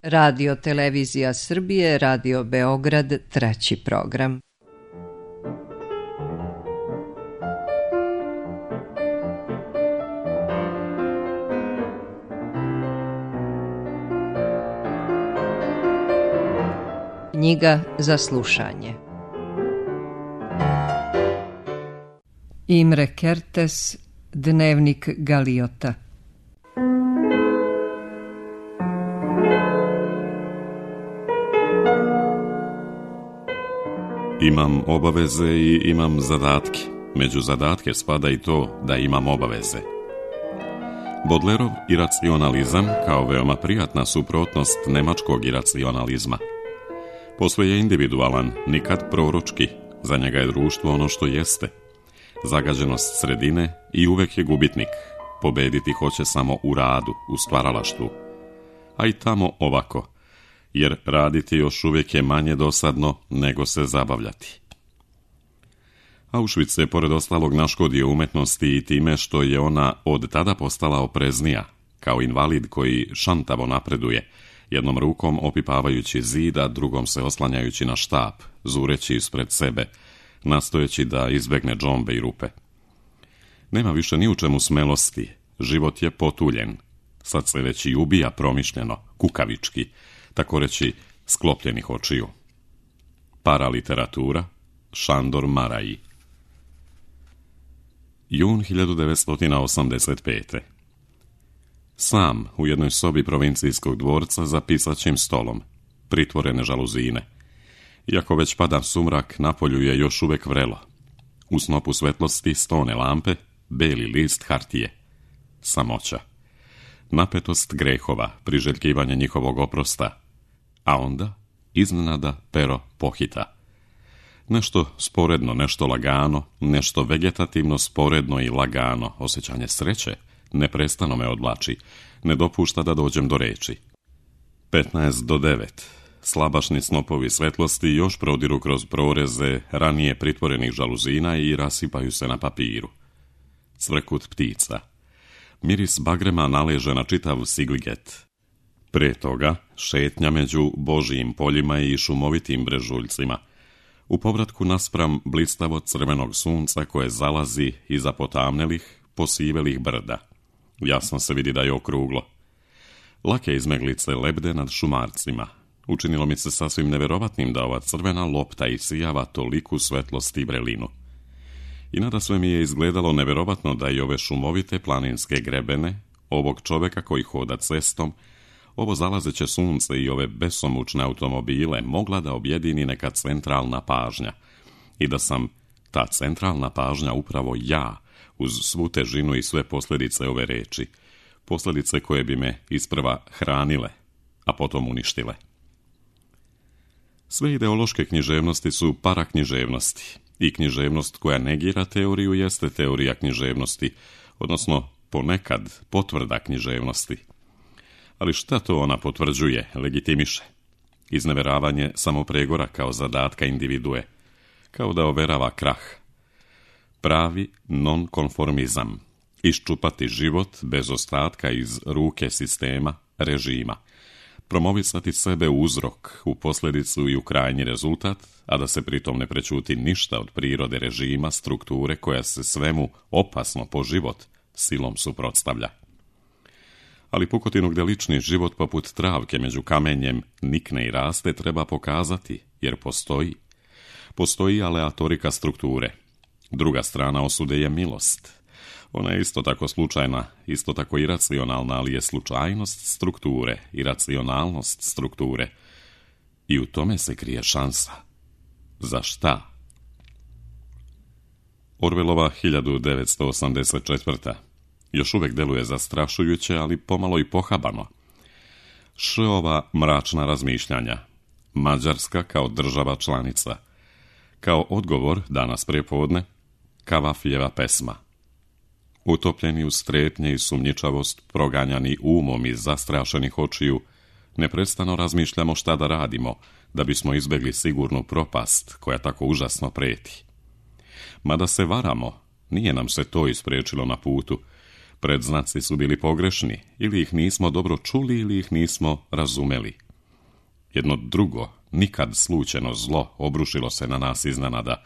Radio Televizija Srbije, Radio Beograd, 3. program. Knjiga za slušanje. Imre Kertész, Dnevnik Galiota. Imam obaveze i imam zadatke. Među zadatke spada i to da imam obaveze. Bodlerov iracionalizam kao veoma prijatna suprotnost nemačkog iracionalizma. Posve je individualan, nikad proročki. Za njega je društvo ono što jeste. Zagađenost sredine i uvek je gubitnik. Pobediti hoće samo u radu, u stvaralaštvu. A i tamo ovako. Jer raditi još uvijek je manje dosadno nego se zabavljati. Auschwitz je pored ostalog naškodio umetnosti i time što je ona od tada postala opreznija, kao invalid koji šantavo napreduje, jednom rukom opipavajući zid, a drugom se oslanjajući na štap, zureći ispred sebe, nastojeći da izbegne džombe i rupe. Nema više ni u čemu smelosti, život je potuljen, sad se već i ubija promišljeno, kukavički, tako reći sklopljenih očiju. Paraliteratura, Šandor Maraji. Jun 1985. Sam u jednoj sobi provincijskog dvorca za pisaćim stolom, pritvorene žaluzine. Iako već pada sumrak, napolju je još uvek vrelo. U snopu svetlosti stone lampe, beli list hartije. Samoća. Napetost grehova, priželjkivanje njihovog oprosta. A onda, iznenada, pero pohita. Nešto sporedno, nešto lagano, nešto vegetativno, sporedno i lagano, osjećanje sreće, neprestano me odvlači, ne dopušta da dođem do reči. 8:55. Slabašni snopovi svetlosti još prodiru kroz proreze ranije pritvorenih žaluzina i rasipaju se na papiru. Cvrkut ptica. Miris bagrema naleže na čitav Sigliget. Pre toga, šetnja među božijim poljima i šumovitim brežuljcima. U povratku naspram blistavo crvenog sunca koje zalazi iza potamnelih, posivelih brda. Jasno se vidi da je okruglo. Lake izmeglice lebde nad šumarcima. Učinilo mi se sasvim neverovatnim da ova crvena lopta isijava toliku svetlost i vrelinu. I nadasve mi je izgledalo neverovatno da i ove šumovite planinske grebene, ovog čoveka koji hoda cestom, ovo zalazeće sunce i ove besomučne automobile mogla da objedini neka centralna pažnja. I da sam ta centralna pažnja upravo ja, uz svu težinu i sve posljedice ove reči. Posljedice koje bi me isprva hranile, a potom uništile. Sve ideološke književnosti su paraknjiževnosti. I književnost koja negira teoriju jeste teorija književnosti, odnosno ponekad potvrda književnosti. Ali šta to ona potvrđuje, legitimiše? Izneveravanje samopregora kao zadatka individue, kao da overava krah. Pravi nonkonformizam, iščupati život bez ostatka iz ruke sistema, režima. Promovisati sebe u uzrok, u posljedicu i u krajnji rezultat, a da se pritom ne prećuti ništa od prirode režima, strukture koja se svemu opasno po život silom suprotstavlja. Ali pukotinu gdje lični život poput travke među kamenjem nikne i raste treba pokazati, jer postoji. Postoji aleatorika strukture. Druga strana osude je milost. Ona je isto tako slučajna, isto tako iracionalna, ali je slučajnost strukture, iracionalnost strukture. I u tome se krije šansa. Za šta? Orwellova 1984. Još uvijek deluje zastrašujuće, ali pomalo i pohabano. Šova mračna razmišljanja. Mađarska kao država članica. Kao odgovor, danas prepodne, Kavafijeva pesma. Utopljeni u strepnje i sumnjičavost, proganjani umom iz zastrašenih očiju, neprestano razmišljamo šta da radimo, da bismo izbjegli sigurnu propast koja tako užasno preti. Mada se varamo, nije nam se to ispriječilo na putu. Predznaci su bili pogrešni, ili ih nismo dobro čuli, ili ih nismo razumeli. jedno drugo, nikad slučajno zlo obrušilo se na nas iznenada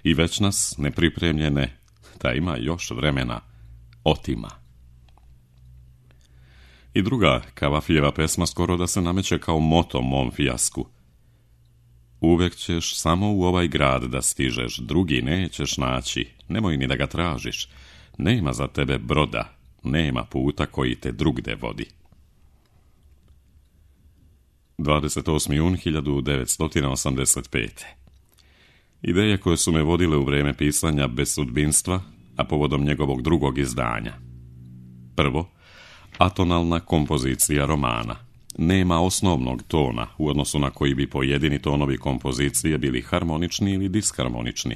i već nas, nepripremljene, da ima još vremena, otima. I druga Kavafijeva pesma skoro da se nameće kao moto mom fijasku. Uvek ćeš samo u ovaj grad da stižeš, drugi nećeš naći, nemoj ni da ga tražiš, nema za tebe broda, nema puta koji te drugde vodi. 28. jun 1985. Ideje koje su me vodile u vreme pisanja Bez sudbinstva, a povodom njegovog drugog izdanja. Prvo, atonalna kompozicija romana. Nema osnovnog tona u odnosu na koji bi pojedini tonovi kompozicije bili harmonični ili disharmonični.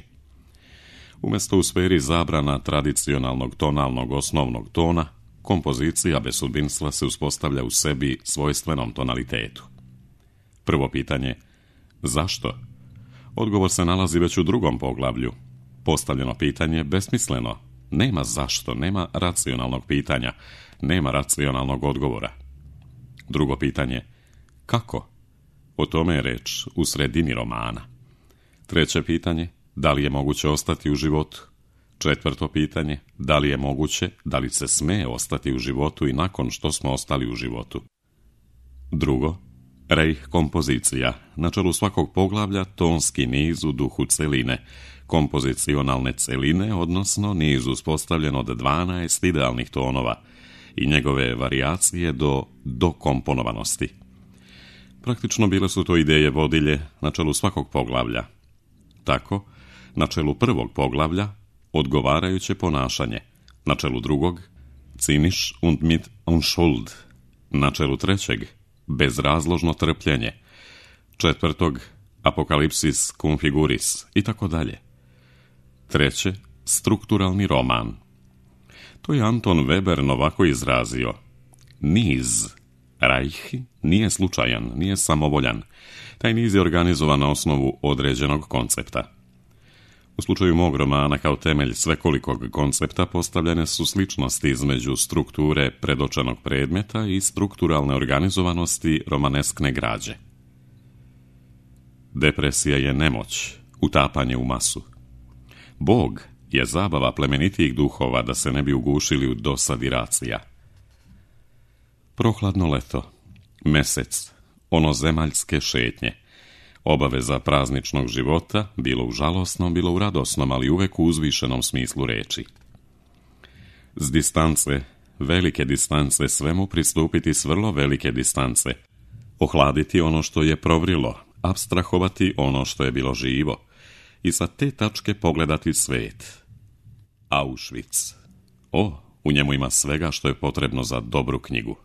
Umjesto u sferi zabrana tradicionalnog tonalnog osnovnog tona, kompozicija Bez sudbinstva se uspostavlja u sebi svojstvenom tonalitetu. Prvo pitanje, zašto? Odgovor se nalazi već u drugom poglavlju. Postavljeno pitanje besmisleno. Nema zašto, nema racionalnog pitanja, nema racionalnog odgovora. Drugo pitanje, kako? O tome je reč u sredini romana. Treće pitanje, da li je moguće ostati u životu? Četvrto pitanje, da li je moguće, da li se sme ostati u životu i nakon što smo ostali u životu? Drugo, Reich kompozicija, na čelu svakog poglavlja tonski niz u duhu celine, kompozicionalne celine, odnosno niz uspostavljen od 12 idealnih tonova i njegove varijacije do komponovanosti. Praktično bile su to ideje vodilje na čelu svakog poglavlja. Tako, na čelu prvog poglavlja odgovarajuće ponašanje, na čelu drugog Zynisch und mit Unschuld, na čelu trećeg bezrazložno trpljenje, četvrtog apokalipsis cum figuris i tako dalje. Treće, strukturalni roman. To je Anton Weber ovako izrazio. Niz, Reich, nije slučajan, nije samovoljan. Taj niz je organizovan na osnovu određenog koncepta. U slučaju mog romana kao temelj svekolikog koncepta postavljene su sličnosti između strukture predočenog predmeta i strukturalne organizovanosti romaneskne građe. Depresija je nemoć, utapanje u masu. Bog je zabava plemenitijih duhova da se ne bi ugušili u dosadi racija. Prohladno leto, mesec, onozemaljske šetnje, obaveza prazničnog života, bilo u žalosnom, bilo u radosnom, ali uvek u uzvišenom smislu reči. S distance, velike distance, svemu pristupiti s vrlo velike distance, ohladiti ono što je provrilo, apstrahovati ono što je bilo živo i sa te tačke pogledati svet. Auschwitz. U njemu ima svega što je potrebno za dobru knjigu.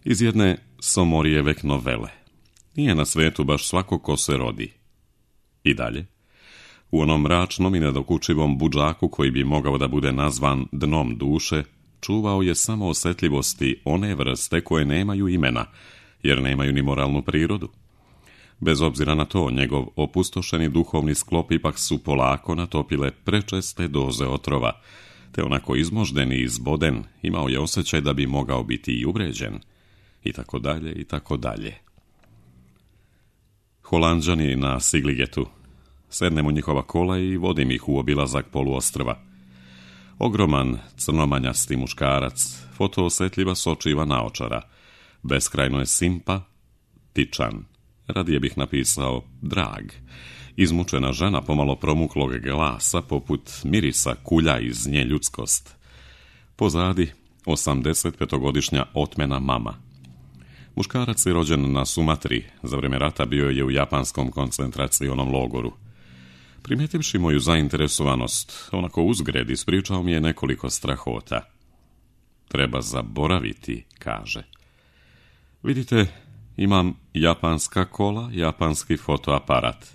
Iz jedne Somorijevek novele. Nije na svetu baš svako ko se rodi. I dalje. U onom mračnom i nedokučivom budžaku koji bi mogao da bude nazvan dnom duše, čuvao je samo osjetljivosti one vrste koje nemaju imena, jer nemaju ni moralnu prirodu. Bez obzira na to, njegov opustošeni duhovni sklop ipak su polako natopile prečeste doze otrova, te onako izmožden i izboden imao je osjećaj da bi mogao biti i uvređen, i tako dalje, i tako dalje. Holanđani na Sigligetu. Sednem u njihova kola i vodim ih u obilazak poluostrva. Ogroman, crnomanjasti muškarac, fotoosetljiva sočiva naočara, beskrajno je simpatičan, radije bih napisao drag, izmučena žena pomalo promuklog glasa poput mirisa kulja iz nje ljudskost. Pozadi 85-godišnja otmena mama. Muškarac je rođen na Sumatri, za vrijeme rata bio je u japanskom koncentracionom logoru. Primijetivši moju zainteresovanost, onako uzgred ispričao mi je nekoliko strahota. Treba zaboraviti, kaže. Vidite, imam japanska kola, japanski fotoaparat.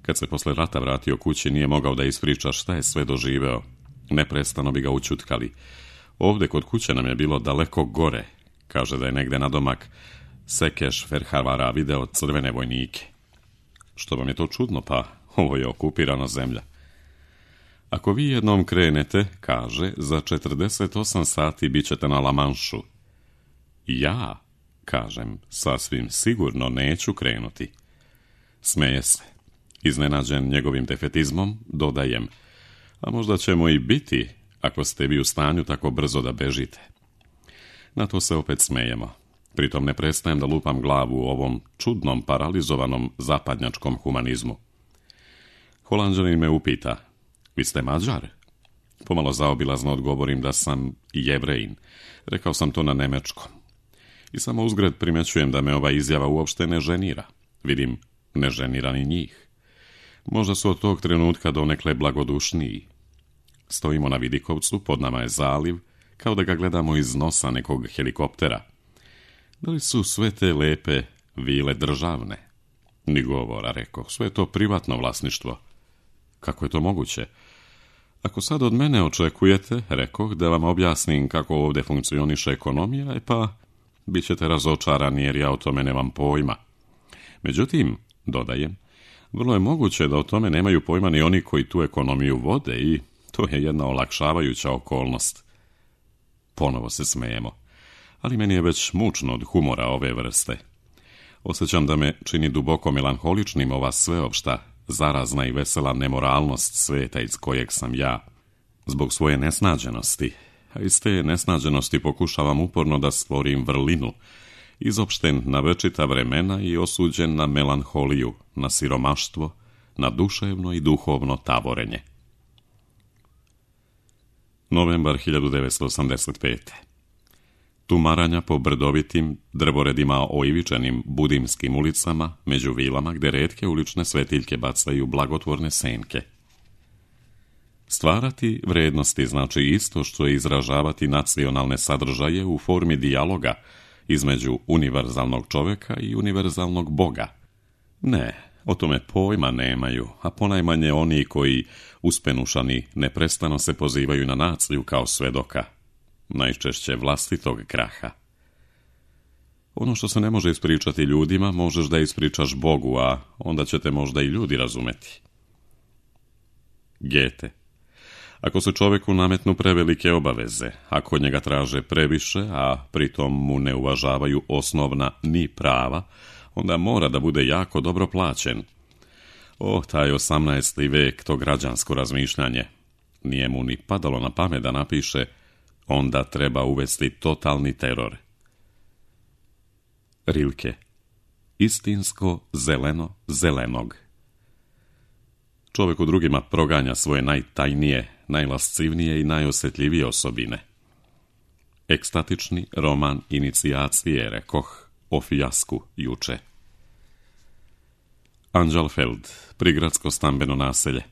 Kad se posle rata vratio kući, nije mogao da ispriča šta je sve doživeo. Neprestano bi ga učutkali. Ovdje kod kuće nam je bilo daleko gore. Kaže da je negde nadomak Sekeš Ferhavara video crvene vojnike. Što vam je to čudno, pa ovo je okupirana zemlja. Ako vi jednom krenete, kaže, za 48 sati bit ćete na La Manšu. Ja? Kažem, sasvim sigurno neću krenuti. Smeje se. Iznenađen njegovim defetizmom, dodajem, a možda ćemo i biti, ako ste vi u stanju tako brzo da bežite. Na to se opet smejemo. Pritom ne prestajem da lupam glavu u ovom čudnom, paralizovanom zapadnjačkom humanizmu. Holanđanin me upita, vi ste Mađar? Pomalo zaobilazno odgovorim da sam Jevrejin. Rekao sam to na nemečkom. I samo uzgred primećujem da me ova izjava uopšte ne ženira. Vidim, ne ženira ni njih. Možda su od tog trenutka donekle blagodušniji. Stojimo na vidikovcu, pod nama je zaliv, kao da ga gledamo iz nosa nekog helikoptera. Da li su sve te lepe vile državne? Ni govora, rekao, sve je to privatno vlasništvo. Kako je to moguće? Ako sad od mene očekujete, rekoh, da vam objasnim kako ovdje funkcioniše ekonomija, pa bit ćete razočarani jer ja o tome nemam pojma. Međutim, dodajem, vrlo je moguće da o tome nemaju pojma ni oni koji tu ekonomiju vode i to je jedna olakšavajuća okolnost. Ponovo se smejemo, ali meni je već mučno od humora ove vrste. Osjećam da me čini duboko melanholičnim ova sveopšta, zarazna i vesela nemoralnost sveta iz kojeg sam ja, zbog svoje nesnađenosti, a iz te nesnađenosti pokušavam uporno da stvorim vrlinu, izopšten na večita vremena i osuđen na melanholiju, na siromaštvo, na duševno i duhovno tavorenje. Novembar 1985. Tumaranja po brdovitim, drvoredima oivičenim budimskim ulicama, među vilama gdje retke ulične svetiljke bacaju blagotvorne senke. Stvarati vrednosti znači isto što je izražavati nacionalne sadržaje u formi dijaloga između univerzalnog čovjeka i univerzalnog Boga. Ne, o tome pojma nemaju, a ponajmanje oni koji, uspenušani, neprestano se pozivaju na naciju kao svedoka, najčešće vlastitog kraha. Ono što se ne može ispričati ljudima, možeš da ispričaš Bogu, a onda ćete možda i ljudi razumeti. Gete. Ako se čovjeku nametnu prevelike obaveze, ako od njega traže previše, a pritom mu ne uvažavaju osnovna ni prava, onda mora da bude jako dobro plaćen. Taj 18. vek, to građansko razmišljanje. Nije mu ni padalo na pamet da napiše, onda treba uvesti totalni teror. Rilke. Istinsko zeleno zelenog. Čovjek u drugima proganja svoje najtajnije, najlascivnije i najosjetljivije osobine. Ekstatični roman inicijacije, rekoh, o fijasku juče. Anđelfeld, prigradsko stambeno naselje.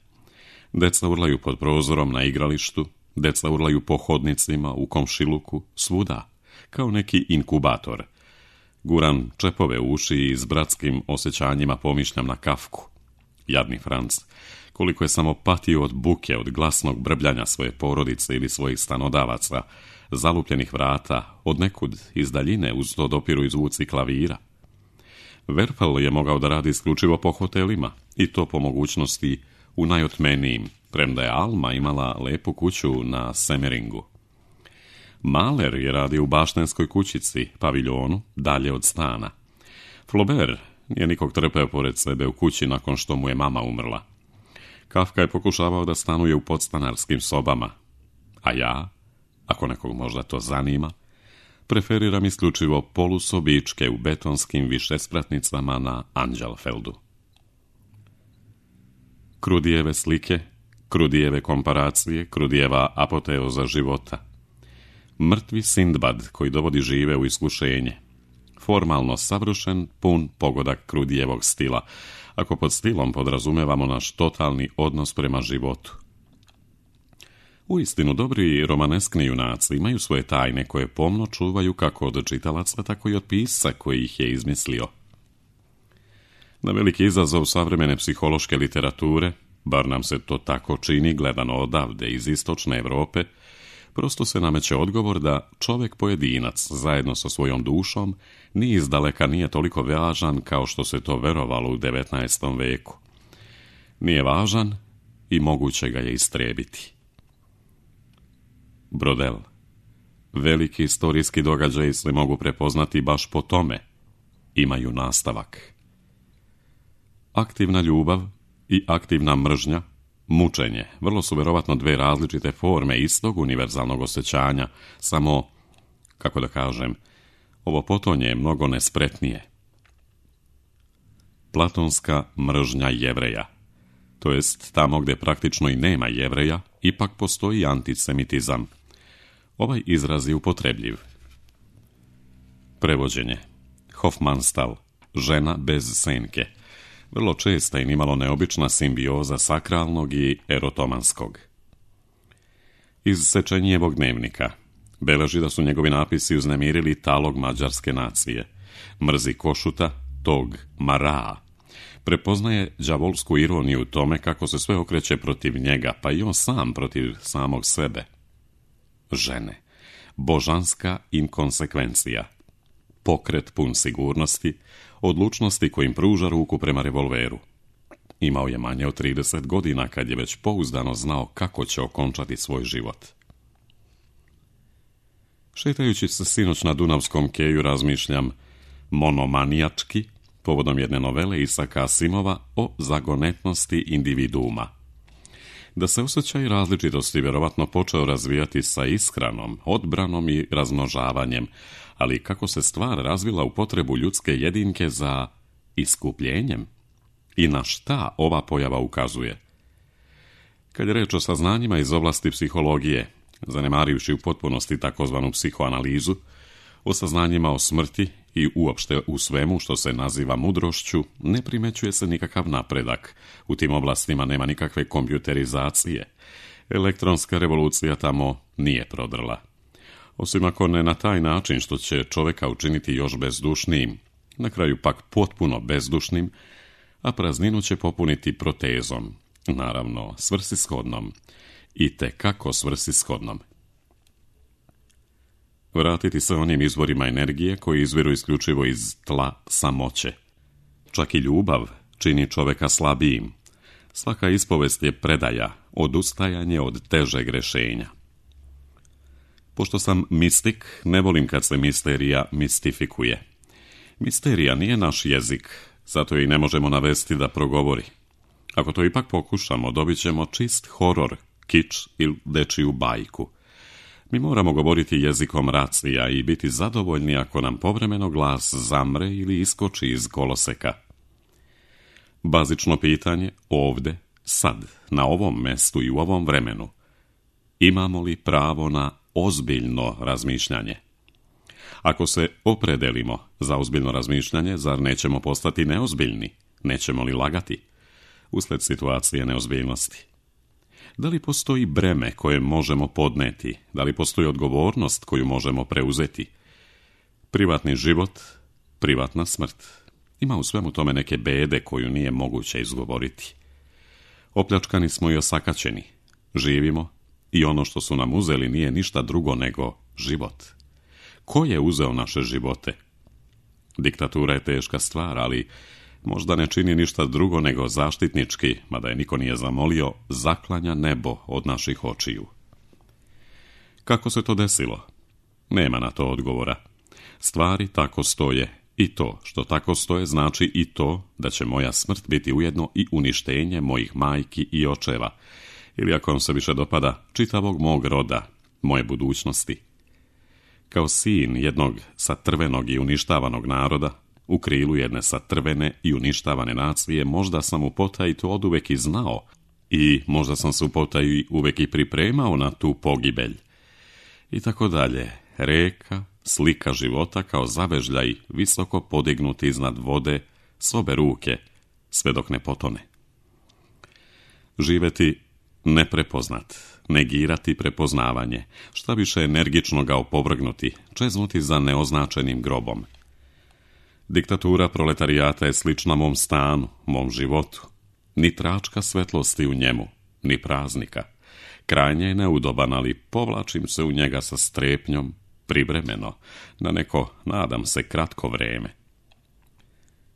Deca urlaju pod prozorom na igralištu, deca urlaju po hodnicima, u komšiluku, svuda, kao neki inkubator. Guram čepove u uši i s bratskim osjećanjima pomišljam na Kafku. Jadni Franc, koliko je samo patio od buke, od glasnog brbljanja svoje porodice ili svojih stanodavaca, zalupljenih vrata, od nekud iz daljine uz to dopiru i zvuci klavira. Werfel je mogao da radi isključivo po hotelima, i to po mogućnosti u najotmenijim, premda je Alma imala lepu kuću na Semeringu. Mahler je radio u baštenskoj kućici, paviljonu, dalje od stana. Flaubert nije nikog trpeo pored sebe u kući nakon što mu je mama umrla. Kafka je pokušavao da stanuje u podstanarskim sobama, a ja, ako nekog možda to zanima, preferiram isključivo polusobičke u betonskim višespratnicama na Anđelfeldu. Krudijeve slike, Krudijeve komparacije, Krudijeva apoteoza života. Mrtvi Sindbad koji dovodi žive u iskušenje. Formalno savršen, pun pogodak Krudijevog stila, ako pod stilom podrazumevamo naš totalni odnos prema životu. Uistinu, dobri romaneskni junaci imaju svoje tajne koje pomno čuvaju kako od čitalaca, tako i od pisca koji ih je izmislio. Na veliki izazov savremene psihološke literature, bar nam se to tako čini gledano odavde iz istočne Europe, prosto se nameće odgovor da čovjek pojedinac zajedno sa svojom dušom ni izdaleka nije toliko važan kao što se to verovalo u 19. veku. Nije važan i moguće ga je istrijebiti. Brodel. Veliki istorijski događaji se mogu prepoznati baš po tome. Imaju nastavak. Aktivna ljubav i aktivna mržnja, mučenje, vrlo su vjerovatno dve različite forme istog univerzalnog osjećanja, samo, kako da kažem, ovo potonje je mnogo nespretnije. Platonska mržnja Jevreja, to jest tamo gdje praktično i nema Jevreja, ipak postoji antisemitizam. Ovaj izraz je upotrebljiv. Prevođenje. Hofmannsthal, žena bez senke. Vrlo česta i nimalo neobična simbioza sakralnog i erotomanskog. Iz Sečenijevog dnevnika beleži da su njegovi napisi uznemirili talog mađarske nacije. Mrzi Košuta, tog Maraa. Prepoznaje đavolsku ironiju u tome kako se sve okreće protiv njega, pa i on sam protiv samog sebe. Žene. Božanska inkonsekvencija. Pokret pun sigurnosti, odlučnosti kojim pruža ruku prema revolveru. Imao je manje od 30 godina kad je već pouzdano znao kako će okončati svoj život. Šetajući se sinoć na Dunavskom keju razmišljam monomanijački povodom jedne novele Isaka Asimova o zagonetnosti individuuma. Da se osjećaj različitosti vjerovatno počeo razvijati sa ishranom, odbranom i razmnožavanjem, ali kako se stvar razvila u potrebu ljudske jedinke za iskupljenjem i na šta ova pojava ukazuje. Kad je reč o saznanjima iz oblasti psihologije, zanemarivši u potpunosti takozvanu psihoanalizu, o saznanjima o smrti i uopšte u svemu što se naziva mudrošću, ne primećuje se nikakav napredak. U tim oblastima nema nikakve kompjuterizacije. Elektronska revolucija tamo nije prodrla. Osim ako ne na taj način što će čovjeka učiniti još bezdušnijim, na kraju pak potpuno bezdušnim, a prazninu će popuniti protezom, naravno svrsishodnom, i tekako svrsishodnom. Vratiti se onim izvorima energije koji izviru isključivo iz tla samoće. Čak i ljubav čini čovjeka slabijim. Svaka ispovest je predaja, odustajanje od težeg rješenja. Pošto sam mistik, ne volim kad se misterija mistifikuje. Misterija nije naš jezik, zato i ne možemo navesti da progovori. Ako to ipak pokušamo, dobit ćemo čist horor, kič ili dečiju bajku. Mi moramo govoriti jezikom racija i biti zadovoljni ako nam povremeno glas zamre ili iskoči iz koloseka. Bazično pitanje ovdje, sad, na ovom mestu i u ovom vremenu. Imamo li pravo na ozbiljno razmišljanje? Ako se opredelimo za ozbiljno razmišljanje, zar nećemo postati neozbiljni? Nećemo li lagati? Usled situacije neozbiljnosti. Da li postoji breme koje možemo podneti? Da li postoji odgovornost koju možemo preuzeti? Privatni život, privatna smrt. Ima u svemu tome neke bede koju nije moguće izgovoriti. Opljačkani smo i osakaćeni. Živimo i ono što su nam uzeli nije ništa drugo nego život. Ko je uzeo naše živote? Diktatura je teška stvar, ali možda ne čini ništa drugo nego zaštitnički, mada je niko nije zamolio, zaklanja nebo od naših očiju. Kako se to desilo? Nema na to odgovora. Stvari tako stoje i to što tako stoje znači i to da će moja smrt biti ujedno i uništenje mojih majki i očeva, ili ako vam se više dopada, čitavog mog roda, moje budućnosti. Kao sin jednog satrvenog i uništavanog naroda, u krilu jedne satrvene i uništavane nacije, možda sam u potaji to oduvek i znao i možda sam se u potaji uvek i pripremao na tu pogibelj. I tako dalje, reka, slika života kao zavežljaj visoko podignuti iznad vode s obe ruke, sve dok ne potone. Živeti neprepoznat, negirati prepoznavanje, šta više energično ga opovrgnuti, čeznuti za neoznačenim grobom. Diktatura proletarijata je slična mom stanu, mom životu. Ni tračka svetlosti u njemu, ni praznika. Krajnje je neudoban, ali povlačim se u njega sa strepnjom, privremeno, na neko, nadam se, kratko vreme.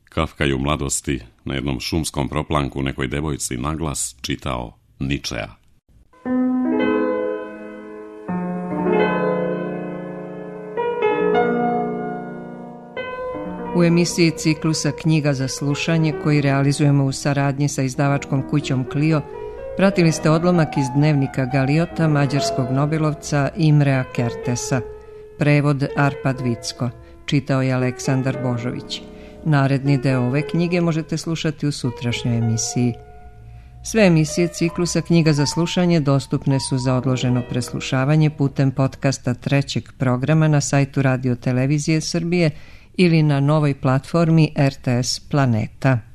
Kafka je u mladosti na jednom šumskom proplanku nekoj devojci naglas čitao Ničea. U emisiji ciklusa Knjiga za slušanje, koji realizujemo u saradnji sa izdavačkom kućom Clio, pratili ste odlomak iz dnevnika Galiota mađarskog nobelovca Imrea Kertesa. Prevod Arpad Vicko. Čitao je Aleksandar Božović. Naredni deo ove knjige možete slušati u sutrašnjoj emisiji. Sve emisije ciklusa Knjiga za slušanje dostupne su za odloženo preslušavanje putem podcasta trećeg programa na sajtu Radio Televizije Srbije ili na novoj platformi RTS Planeta.